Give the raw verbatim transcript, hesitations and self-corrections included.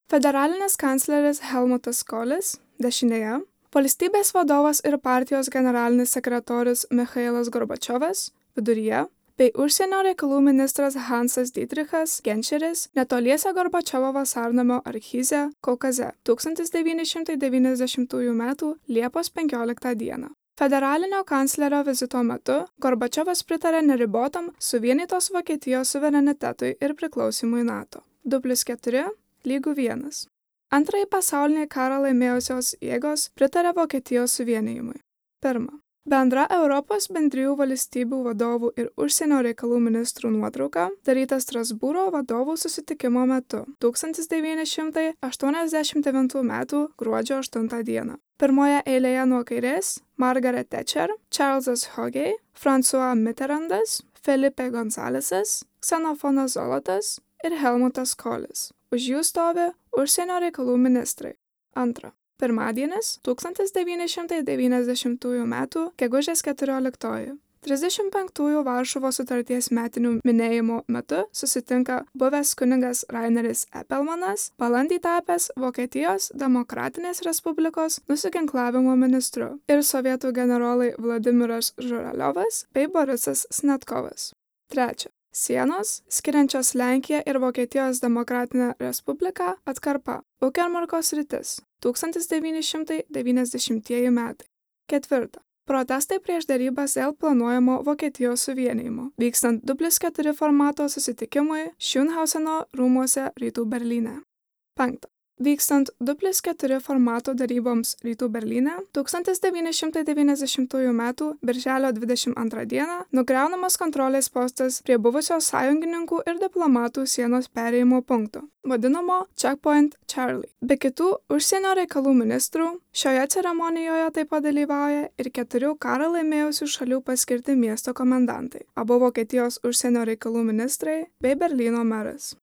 Federalinis kancleris Helmutas Kolis dešinėje, valstybės vadovas ir partijos generalinis sekretorius Michailas Gorbačiovas viduryje, bei užsienio reikalų ministras Hansas Dietrichas Genčeris netoliese Gorbačiovo vasarnamio archyze Kaukaze tūkstantis devyni šimtai devyniasdešimtųjų metų Liepos penkioliktą dieną. Federalinio kanclerio vizito metu Gorbačiovas pritarė neribotam suvienytos Vokietijos suverenitetui ir priklausimui NATO. du plius keturi lygu vienas. Antrąjį pasaulinį karą laimėjusios jėgos pritarė Vokietijos suvienijimui. Pirma. Bendra Europos bendrijų valstybių vadovų ir užsienio reikalų ministrų nuotrauka daryta Strasbūro vadovų susitikimo metu tūkstantis devyni šimtai aštuoniasdešimt devintų metų gruodžio aštuntą dieną. Pirmoje eilėje nuo kairės Margaret Thatcher, Charlesas Hogey, François Mitterrandas, Felipe Gonzalesas, Ksenofonas Zolotas ir Helmutas Kolis. Už jų stovi užsienio reikalų ministrai. Antra. Pirmadienis tūkstantis devyni šimtai devyniasdešimtųjų metų gegužės keturioliktoji. trisdešimt penktųjų Varšuvos sutarties metinių minėjimo metu susitinka buvęs kunigas Raineris Epelmanas, balandį tapęs Vokietijos Demokratinės Respublikos nusiginklavimo ministru, ir sovietų generolai Vladimiras Žuraliovas bei Borisas Snetkovas. Trečia. Sienos, skiriančios Lenkiją ir Vokietijos Demokratinę Respubliką atkarpa. Ukermarko sritis. tūkstantis devyni šimtai devyniasdešimtieji metai. Ketvirta. Protestai prieš derybas dėl planuojamo Vokietijos suvienijimo, vykstant du plius keturi formato susitikimui Schönhauseno rūmuose Rytų Berlyne. Penkta. Vykstant du plius keturi formato daryboms Rytų Berlyne, tūkstantis devyni šimtai devyniasdešimtųjų metų birželio dvidešimt antrą dieną nugriaunamas kontrolės postas prie buvusio sąjungininkų ir diplomatų sienos perėjimo punkto, vadinamo Checkpoint Charlie. Be kitų užsienio reikalų ministrų, šioje ceremonijoje taip pat dalyvauja ir keturių karą laimėjusių šalių paskirti miesto komendantai, abu Vokietijos užsienio reikalų ministrai bei Berlyno meras.